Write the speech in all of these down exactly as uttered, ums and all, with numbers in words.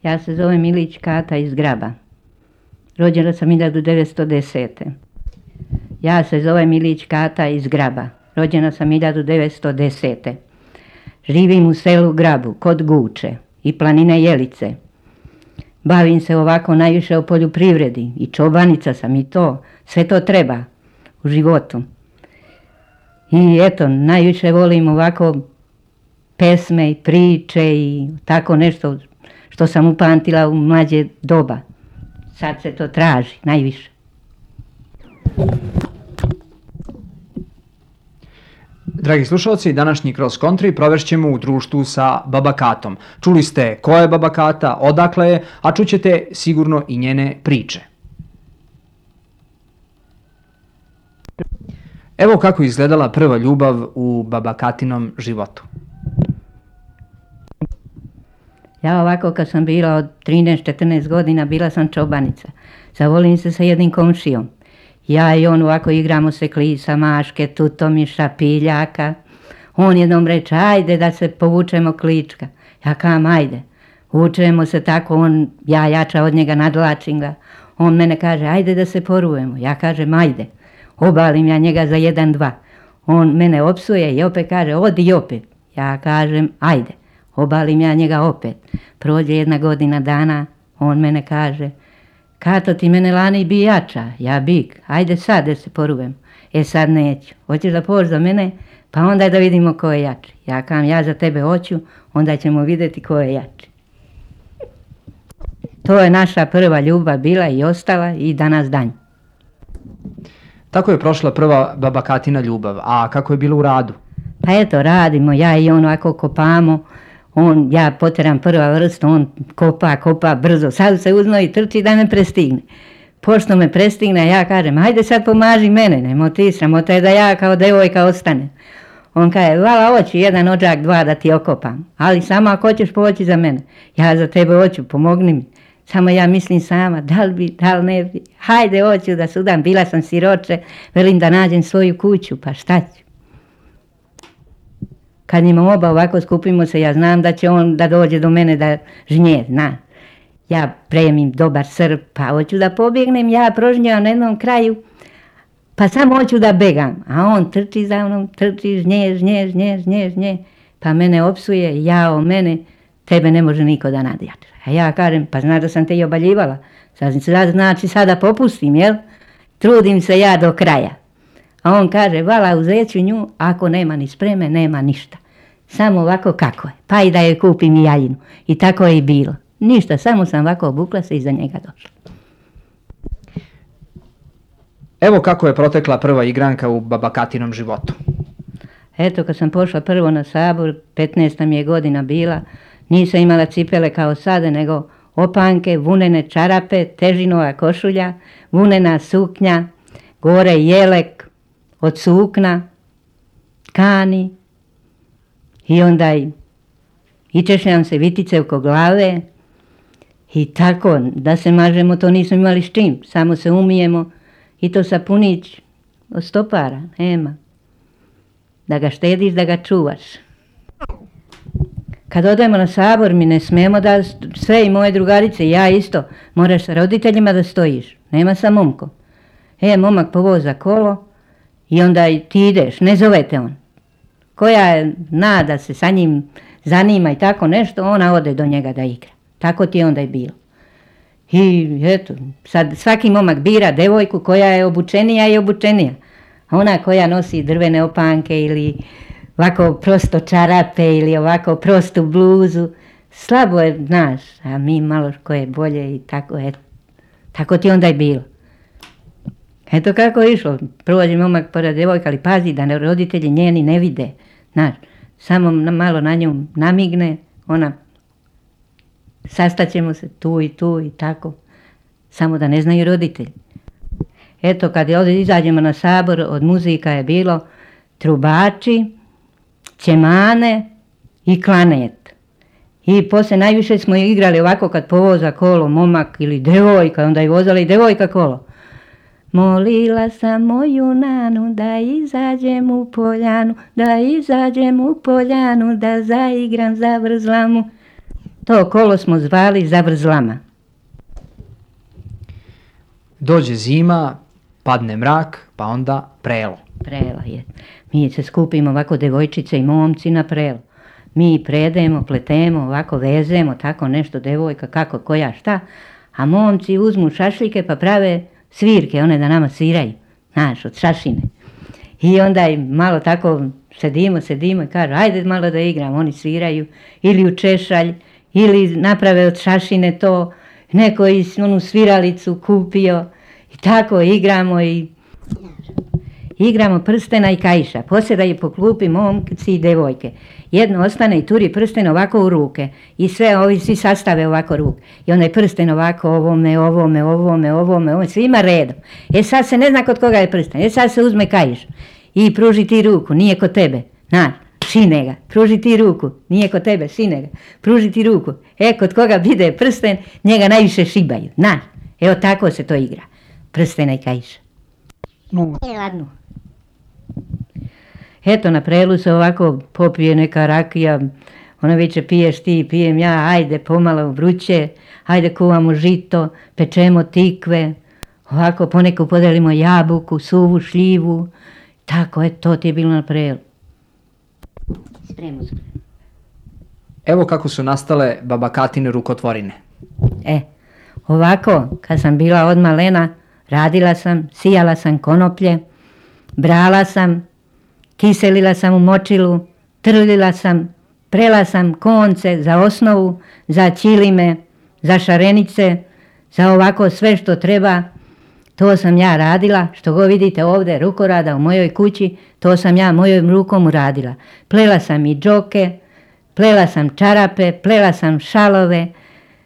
Ja se zovem Milić Kata iz Graba. Rođena sam hiljadu devetsto desete. Ja se zovem Milić Kata iz Graba. Rođena sam hiljadu devetsto desete. Živim u selu Grabu, kod Guče i planine Jelice. Bavim se ovako najviše o poljoprivredi i čobanica sam i to. Sve to treba u životu. I eto, najviše volim ovako pesme i priče i tako nešto što sam upamtila u mlađe doba. Sad se to traži najviše. Dragi slušalci, današnji Cross Country provešćemo u društvu sa Baba Katom. Čuli ste ko je Baba Kata, odakle je, a čućete sigurno i njene priče. Evo kako izgledala prva ljubav u Baba Katinom životu. Ja ovako kad sam bila od trinaest četrnaest godina, bila sam čobanica. Zavolim se sa jednim komšijom. Ja i on ovako igramo se klisa, maške, tutomiša, piljaka. On jednom reče, ajde da se povučemo klička. Ja kam, ajde. Vučemo se tako, on, ja jača od njega, nadlačim ga. On mene kaže, ajde da se porujemo. Ja kažem, ajde. Obalim ja njega za jedan, dva. On mene opsuje i opet kaže, odi opet. Ja kažem, ajde. Obalim ja njega opet. Prođe jedna godina dana, on mene kaže, Kato, ti mene lani bi jača, ja bik, ajde sad da se porujem. E sad neću, hoćeš da pođeš za mene, pa onda da vidimo ko je jači. Ja kam, ja za tebe hoću, onda ćemo vidjeti ko je jači. To je naša prva ljubav bila i ostala i danas danj. Tako je prošla prva Baba Katina ljubav, a kako je bilo u radu? Pa eto, radimo, ja i on ovako kopamo. On, ja poteram prva vrsta, on kopa, kopa brzo, sad se uzno i trči da me prestigne. Pošto me prestigne, ja kažem, hajde sad pomaži mene, nemo ti, sramota je da ja kao devojka ostane. On kaže, vala hoću jedan ođak, dva da ti okopam, ali samo ako hoćeš poći za mene. Ja za tebe hoću, pomogni mi. Samo ja mislim sama, da li bi, da li ne bi, hajde hoću da sudam, bila sam siroče, velim da nađem svoju kuću, pa šta ću. Kad njima oba ovako skupimo se, ja znam da će on da dođe do mene da žnje, zna. Ja premim dobar srp, pa hoću da pobjegnem, ja prožnjam na jednom kraju, pa samo hoću da begam. A on trči za mnom, trči, žnje, žnje, žnje, žnje, žnje, pa mene opsuje, ja o mene, tebe ne može niko da nadjače. A ja kažem, pa znaš da sam te i obaljivala, sad znači sada popustim, jel? Trudim se ja do kraja. A on kaže, vala uzet ću nju, ako nema ni spreme, nema ništa. Samo ovako kako je, pa i da joj kupim i jaljinu. I tako je i bilo. Ništa, samo sam ovako obukla se i za njega došla. Evo kako je protekla prva igranka u Baba Katinom životu. Eto, kad sam pošla prvo na sabor, petnaesta mi je godina bila, nisam imala cipele kao sada, nego opanke, vunene čarape, težinova košulja, vunena suknja, gore jelek od sukna, tkani i onda i, i češljam se vitice oko glave i tako da se mažemo, to nismo imali s čim, samo se umijemo i to sapunić od stopara, nema. Da ga štediš, da ga čuvaš. Kad odemo na sabor, mi ne smemo da, sve i moje drugarice, ja isto, moraš sa roditeljima da stojiš, nema sa momkom. E, momak povoza kolo i onda ti ideš, ne zovete on. Koja je nada se sa njim zanima i tako nešto, ona ode do njega da igra. Tako ti je onda i bilo. I eto, sad svaki momak bira devojku koja je obučenija i obučenija. A ona koja nosi drvene opanke ili ovako prosto čarape ili ovako prostu bluzu, slabo je, znaš, a mi malo ko je bolje i tako, eto. Tako ti onda i bilo. Eto kako je išlo, prođe momak pored devojka, ali pazi da roditelji njeni ne vide, znaš, samo malo na nju namigne, ona, sastaćemo se tu i tu i tako, samo da ne znaju roditelji. Eto kad je ovdje izađemo na sabor, od muzika je bilo trubači, ćemane i klanet. I poslije najviše smo igrali ovako kad povoza kolo momak ili devojka, onda je vozala i devojka kolo. Molila sam moju nanu da izađem u poljanu, da izađem u poljanu, da zaigram za vrzlamu. To kolo smo zvali zavrzlama. Dođe zima, padne mrak, pa onda prelo. Prelo je. Mi se skupimo ovako devojčice i momci na prelo. Mi predemo, pletemo, ovako vezemo, tako nešto, devojka, kako, koja, šta. A momci uzmu šašljike pa prave svirke, one da nama sviraju, znaš, od šašine. I onda im malo tako sedimo, sedimo i kažu, ajde malo da igram, oni sviraju, ili u češalj, ili naprave od šašine to, neko iz onu sviralicu kupio i tako igramo i igramo prstena i kaiša. Posjedaju po klupi momci i devojke. Jedno ostane i turi prsten ovako u ruke i sve ovi svi sastave ovako ruke. I onda je prsten ovako ovome, ovome, ovome, ovome, ovome, svima redom. E sad se ne zna kod koga je prsten. E sad se uzme kaiš i pruži ti ruku, nije kod tebe. Znaš, šine ga, pruži ti ruku, nije kod tebe, šine ga, pruži ti ruku. E, kod koga bide prsten, njega najviše šibaju, znaš. Evo tako se to igra, prstena i kaiša. No. Ladno. Eto, na prelu se ovako popije neka rakija, ona viče piješ ti, pijem ja, ajde pomalo vruće, ajde kuvamo žito, pečemo tikve, ovako poneku podelimo jabuku, suvu, šljivu, tako, eto, to ti je bilo na prelu. Spremu, spremu. Evo kako su nastale babakatine rukotvorine. E, ovako, kad sam bila od malena, radila sam, sijala sam konoplje, brala sam, kiselila sam u močilu, trljila sam, prela sam konce za osnovu, za ćilime, za šarenice, za ovako sve što treba. To sam ja radila, što go vidite ovdje rukorada u mojoj kući, to sam ja mojom rukom uradila. Plela sam i džoke, plela sam čarape, plela sam šalove,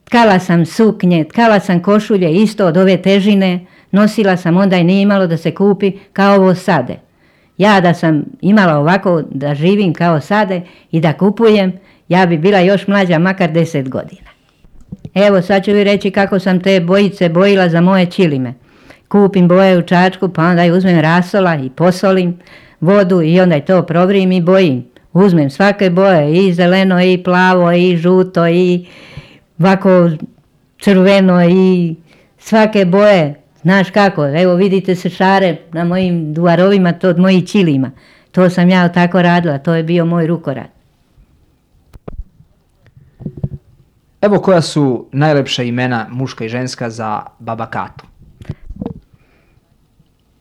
tkala sam suknje, tkala sam košulje isto od ove težine, nosila sam, onda i nije imalo da se kupi kao ovo sade. Ja da sam imala ovako da živim kao sade i da kupujem, ja bi bila još mlađa, makar deset godina. Evo sad ću vi reći kako sam te bojice bojila za moje ćilime. Kupim boje u čačku, pa onda i uzmem rasola i posolim vodu i onda i to provrim i bojim. Uzmem svake boje, i zeleno, i plavo, i žuto, i ovako crveno, i svake boje. Znaš kako, evo vidite se šare na mojim duvarovima, to od mojih ćilima. To sam ja tako radila, to je bio moj rukorad. Evo koja su najlepša imena muška i ženska za baba Katu.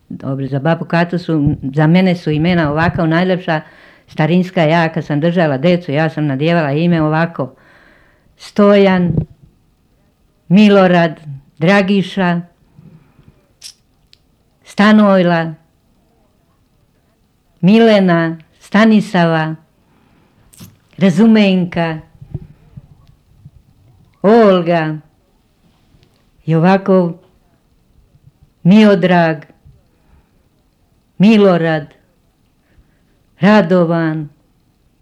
Dobro, za babu Katu su, za mene su imena ovako najlepša, starinska, ja kad sam držala decu, ja sam nadjevala ime ovako. Stojan, Milorad, Dragiša, Stanojla, Milena, Stanisava, Razumenka, Olga i ovako Miodrag, Milorad, Radovan,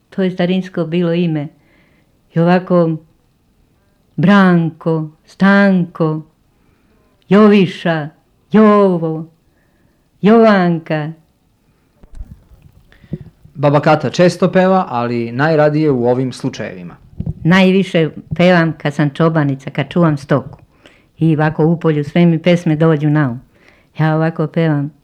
to je starinsko bilo ime, i ovako Branko, Stanko, Joviša, Jovo, Jovanka. Baba Kata često peva, ali najradije u ovim slučajevima. Najviše pevam kad sam čobanica, kad čuvam stoku. I ovako u polju sve mi pesme dođu na um. Ja ovako pevam.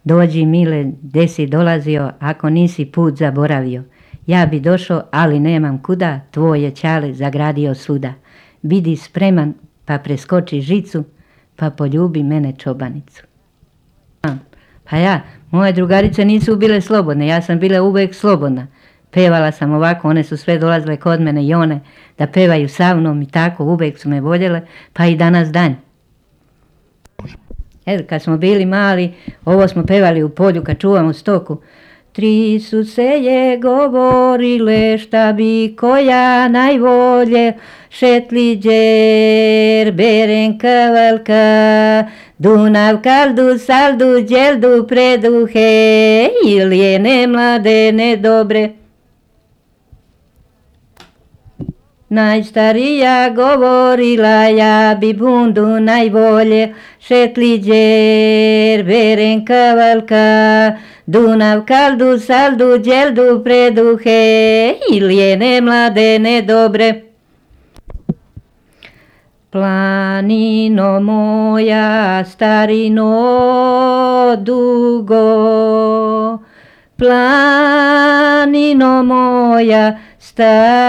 Dođi mile, gdje si dolazio, ako nisi put zaboravio. Ja bi došao, ali nemam kuda, tvoje ćale zagradio svuda. Bidi spreman, pa preskoči žicu, pa poljubi mene čobanicu. Pa ja, moje drugarice nisu bile slobodne, ja sam bila uvijek slobodna. Pevala sam ovako, one su sve dolazile kod mene i one da pevaju sa mnom i tako, uvijek su me voljele, pa i danas dan. Evo, kad smo bili mali, ovo smo pevali u polju kad čuvamo stoku. Tri su se je govorile šta bi koja najvolje, Šetliđer, Berenka, Valka, Dunav, Kaldu, Saldu, Đeldu, Preduhe, Ilijene, Mladene, Dobre. Najstarija govorila, ja bi bundu najbolje, Šetliđer, Berenka, Valka, Dunav, Kaldu, Saldu, Đeldu, Preduhe, Ilijene, Mladene, Dobre. Planino moja, starino dugo, planino moja, starino,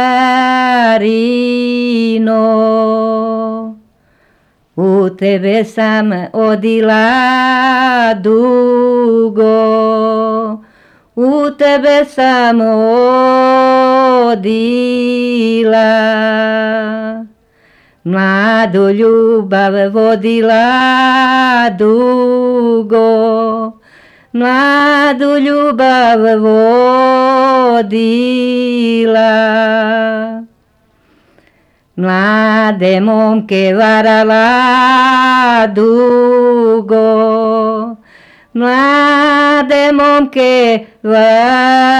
u tebe sam odila dugo, u tebe sam odila. Mladu ljubav vodila dugo, mladu ljubav vodila. Mlade momke varala dugo, mlade momke varala.